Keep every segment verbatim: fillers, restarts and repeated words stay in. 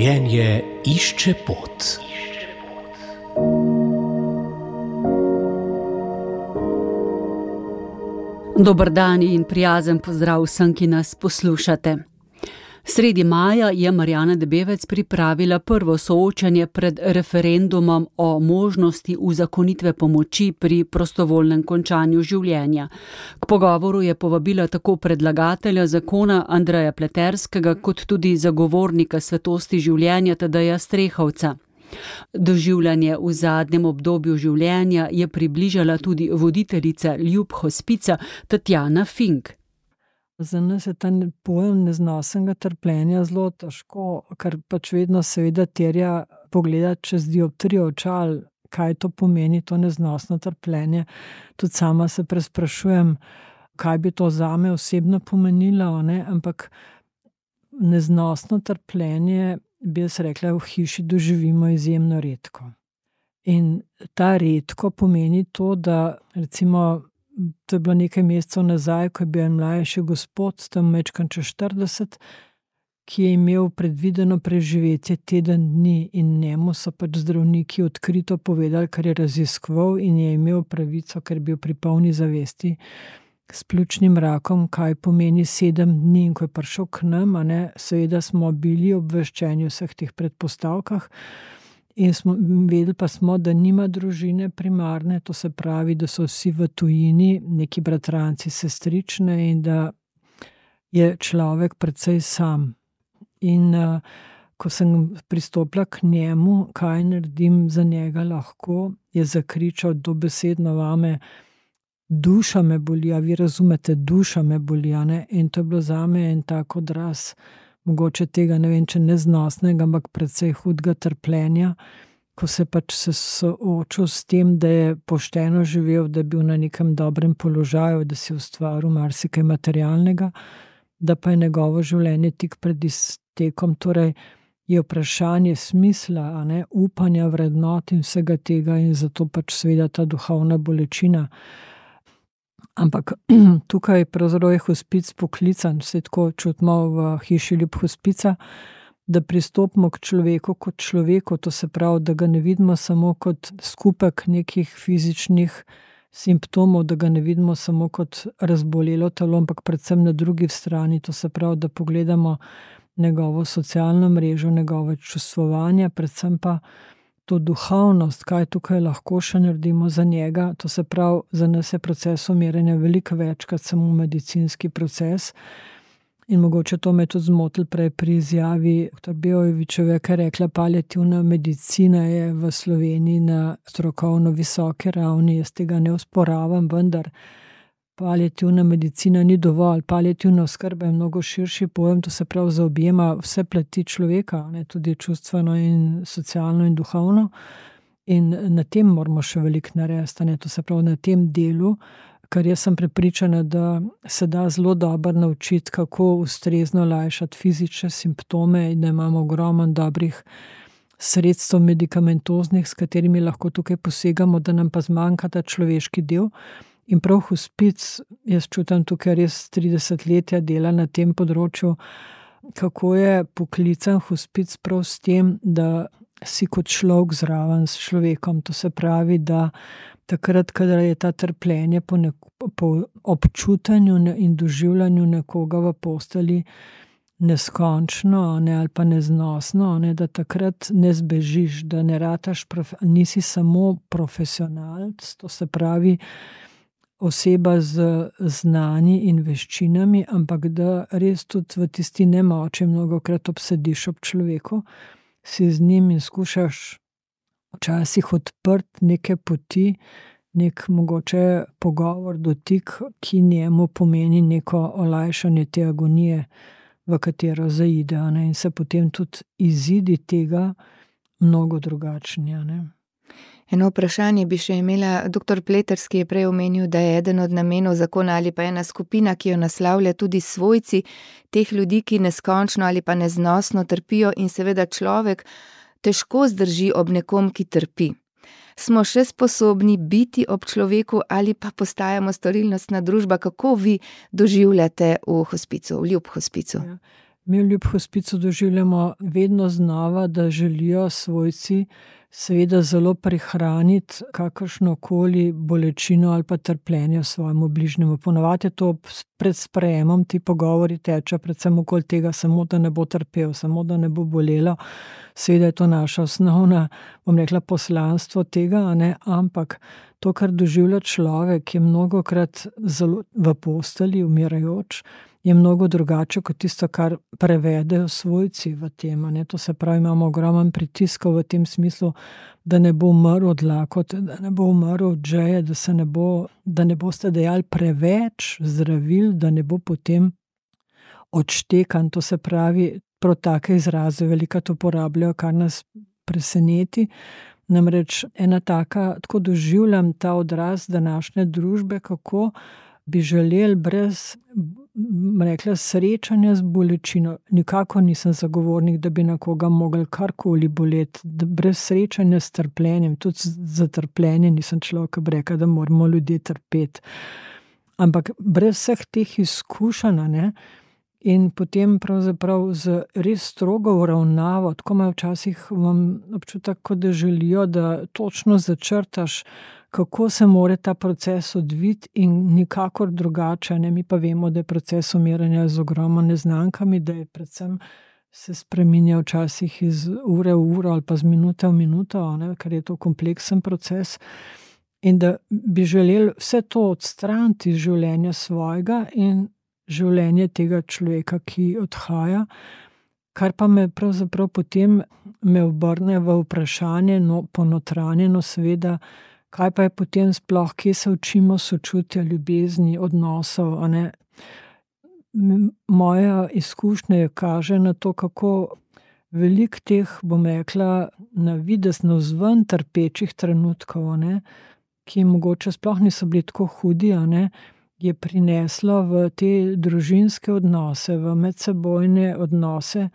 Življenje išče pot. Dober dan in prijazen pozdrav vsem, ki nas poslušate. Sredi maja je Marjana Debevec pripravila prvo soočenje pred referendumom o možnosti uzakonitve pomoči pri prostovoljnem končanju življenja. K pogovoru je povabila tako predlagatelja zakona Andreja Pleterskega kot tudi zagovornika svetosti življenja Tadeja Strehovca. Doživljanje v zadnjem obdobju življenja je približala tudi voditeljica Ljub hospica Tatjana Fink. Za nas je ta pojem neznosnega trpljenja zelo težko, ker pač vedno seveda terja pogledati čez dioptrijo očal, kaj to pomeni, to neznosno trpljenje. Tudi sama se presprašujem, kaj bi to zame osebno pomenilo, ne? Ampak neznosno trpljenje, bi jaz rekla, v hiši doživimo izjemno redko. In ta redko pomeni to, da recimo to je bilo nekaj mesecev nazaj, ko je bil en mlajši gospod, tam majčkeno čez štirideset, ki je imel predvideno preživetje teden dni in njemu so pač zdravniki odkrito povedali, kar je raziskoval in je imel pravico, ker je bil pri polni zavesti s pljučnim rakom, kaj pomeni sedem dni, in ko je prišel k nam, a ne, seveda smo bili obveščeni v vseh teh predpostavkah. In smo, vedeli pa smo, da nima družine primarne, to se pravi, da so vsi v tujini, neki bratranci, sestrične in da je človek precej sam. In uh, ko sem pristopila k njemu, kaj naredim za njega lahko, je zakričal dobesedno vame, duša me boli, a vi razumete, duša me boli, a ne? In to je bilo zame en tak odraz, mogoče tega, ne vem, če neznosnega, ampak precej hudega trpljenja, ko se pač se soočil s tem, da je pošteno živel, da je bil na nekem dobrem položaju, da si ustvaril marsikaj materialnega, da pa je njegovo življenje tik pred iztekom, torej je vprašanje smisla, a ne, upanja, vrednot in vsega tega in zato pač seveda ta duhovna bolečina. Ampak tukaj pravzaprav je hospic poklican, vse tako čutimo v hiši Ljub hospica, da pristopimo k človeku kot človeku, to se pravi, da ga ne vidimo samo kot skupek nekih fizičnih simptomov, da ga ne vidimo samo kot razbolelo telo, ampak predvsem na drugi strani, to se pravi, da pogledamo njegovo socialno mrežo, njegove čustvovanja, predvsem pa to duhovnost, kaj tukaj lahko še naredimo za njega, to se pravi, za nas je proces umiranja veliko večkrat samo medicinski proces in mogoče to me tudi zmotilo prej pri izjavi doktor Beovićeve, ki je rekla, paliativna medicina je v Sloveniji na strokovno visoki ravni, jaz tega ne osporavam, vendar paliativna medicina ni dovolj, paliativna oskrba je mnogo širši pojem, to se pravi zaobjema vse plati človeka, ne, tudi čustveno in socialno in duhovno, in na tem moramo še veliko narediti, ne, to se pravi na tem delu, ker jaz sem prepričana, da se da zelo dobro naučiti, kako ustrezno lajšati fizične simptome in da imamo ogromno dobrih sredstev medikamentoznih, s katerimi lahko tukaj posegamo, da nam pa zmanjka ta človeški del. In prav hospic, jaz čutim tukaj res tridesetletja dela na tem področju, kako je poklican hospic prav s tem, da si kot človek zraven s človekom, to se pravi, da takrat, kadar je ta trpljenje po, neko, po občutanju in doživljanju nekoga v posteli neskončno, ne, ali pa neznosno, ne, da takrat ne zbežiš, da ne rataš, prof, nisi samo profesionalc, to se pravi, oseba z znanji in veščinami, ampak da res tudi v tisti nemoči mnogokrat obsediš ob človeku, si z njim in skušaš včasih odprti neke poti, nek mogoče pogovor, dotik, ki njemu pomeni neko olajšanje te agonije, v katero zaide, ne? In se potem tudi izidi tega mnogo drugačnija, ne. Eno vprašanje bi še imela. Doktor Pleterski je prej omenil, da je eden od namenov zakona ali pa ena skupina, ki jo naslavlja tudi svojci teh ljudi, ki neskončno ali pa neznosno trpijo in seveda človek težko zdrži ob nekom, ki trpi. Smo še sposobni biti ob človeku ali pa postajamo storilnostna družba? Kako vi doživljate v hospicu, v Ljub hospicu? Ja. Mi v Ljub hospicu doživljamo vedno znova, da želijo svojci seveda zelo prihraniti kakršnokoli bolečino ali pa trpljenje svojemu bližnjemu. Ponovadi je to pred sprejemom, ti pogovori tečejo predvsem okoli tega, samo da ne bo trpel, samo da ne bo bolelo. Seveda je to naša osnovna, bom rekla, poslanstvo tega, ne? Ampak to, kar doživlja človek, je mnogokrat zelo v postelji, umirajoč, je mnogo drugače kot tisto, kar prevedejo svojci v tem. Ne? To se pravi, imamo ogromen pritiskov v tem smislu, da ne bo umrl od lakote, da ne bo umrl od žeje, da se ne bo, da ne boste dejali preveč zdravil, da ne bo potem odštekan. To se pravi, prav take izraze velikokrat uporabljajo, kar nas preseneti. Namreč ena taka, tako doživljam ta odraz današnje družbe, kako bi želeli brez, rekla, srečanja z bolečino. Nikako nisem zagovornik, da bi na koga mogli karkoli boleti, brez srečanja s trpljenjem, tudi za trpljenje nisem človek, ki bi rekel, da moramo ljudje trpeti. Ampak brez vseh teh izkušenj, ne, in potem pravzaprav z res strogo uravnavo, tako imajo včasih imam občutek, kot da želijo, da točno začrtaš, kako se mora ta proces odviti in nikakor drugače. Ne? Mi pa vemo, da je proces umiranja z ogromno neznankami, da je predvsem se spreminja včasih iz ure v uro ali pa z minute v minuto, ne? Ker je to kompleksen proces. In da bi želeli vse to odstraniti iz življenja svojega in življenje tega človeka, ki odhaja, kar pa me pravzaprav potem me obrne v vprašanje, no, ponotranjeno seveda, kaj pa je potem sploh, kje se učimo sočutja, ljubezni, odnosov, a ne. Moja izkušnja kaže na to, kako veliko teh, bom rekla, na videz navzven trpečih trenutkov, a ne, ki mogoče sploh niso bili tako hudi, a ne, je prineslo v te družinske odnose, v medsebojne odnose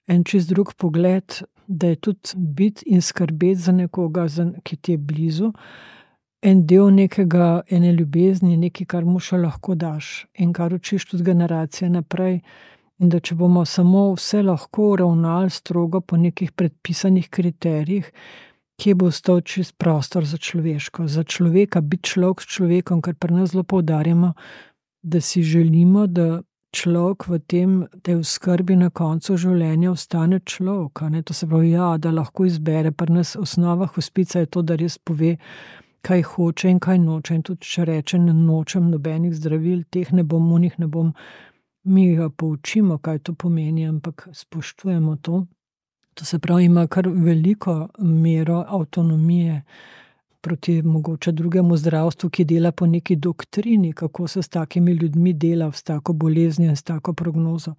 en čist drug pogled, da je tudi biti in skrbeti za nekoga, ki ti je blizu, en del nekega, ene ljubezni, nekaj, kar mu še lahko daš in kar učiš tudi generacije naprej. In da če bomo samo vse lahko ravnali strogo po nekih predpisanih kriterijih, kje bo ostal čist prostor za človeško, za človeka, biti človek s človekom, kar pri nas zelo poudarjamo, da si želimo, da človek v tem, da je v skrbi na koncu življenja ostane človek. Ne? To se pravi, ja, da lahko izbere. Pri nas osnova hospica je to, da res pove, kaj hoče in kaj noče. In tudi če reče, ne nočem nobenih zdravil, teh ne bom, unih ne bom, mi ga poučimo, kaj to pomeni, ampak spoštujemo to. To se pravi, ima kar veliko mero avtonomije proti mogoče drugemu zdravstvu, ki dela po neki doktrini, kako se s takimi ljudmi dela, s tako boleznijo in s tako prognozo.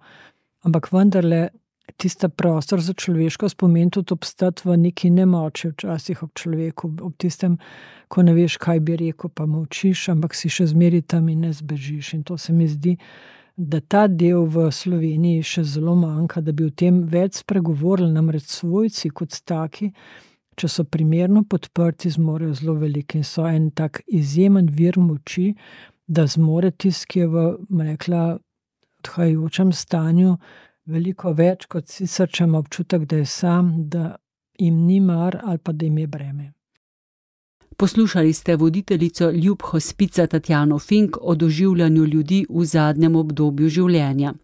Ampak vendarle, tista prostor za človeško pomeni tudi obstati v neki nemoči včasih ob človeku, ob tistem, ko ne veš, kaj bi rekel, pa molčiš, ampak si še zmeri tam in ne zbežiš. In to se mi zdi, da ta del v Sloveniji še zelo manjka, da bi o tem več spregovorili, namreč svojci kot taki, če so primerno podprti, zmorejo zelo veliko in so en tak izjemen vir moči, da zmore tisti, ki je v, rekla, odhajajočem stanju, veliko več, kot sicer, če ima občutek, da je sam, da jim ni mar ali pa da jim je breme. Poslušali ste voditeljico Ljub hospica Tatjano Fink o doživljanju ljudi v zadnjem obdobju življenja.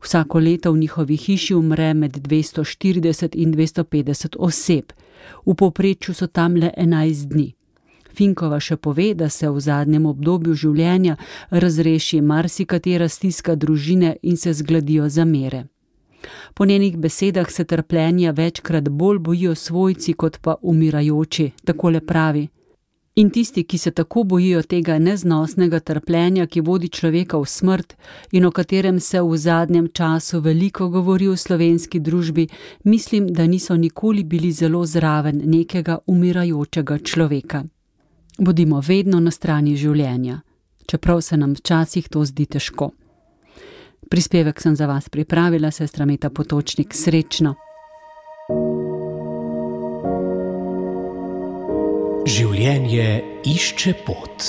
Vsako leto v njihovi hiši umre med dvesto štirideset in dvesto petdeset oseb. V povprečju so tam le enajst dni. Finkova še pove, da se v zadnjem obdobju življenja razreši marsikatera stiska družine in se zgladijo zamere. Po njenih besedah se trpljenja večkrat bolj bojijo svojci kot pa umirajoči, takole pravi. In tisti, ki se tako bojijo tega neznosnega trpljenja, ki vodi človeka v smrt in o katerem se v zadnjem času veliko govori v slovenski družbi, mislim, da niso nikoli bili zelo zraven nekega umirajočega človeka. Bodimo vedno na strani življenja, čeprav se nam včasih to zdi težko. Prispevek sem za vas pripravila, sestra Meta Potočnik, srečno. Življenje išče pot.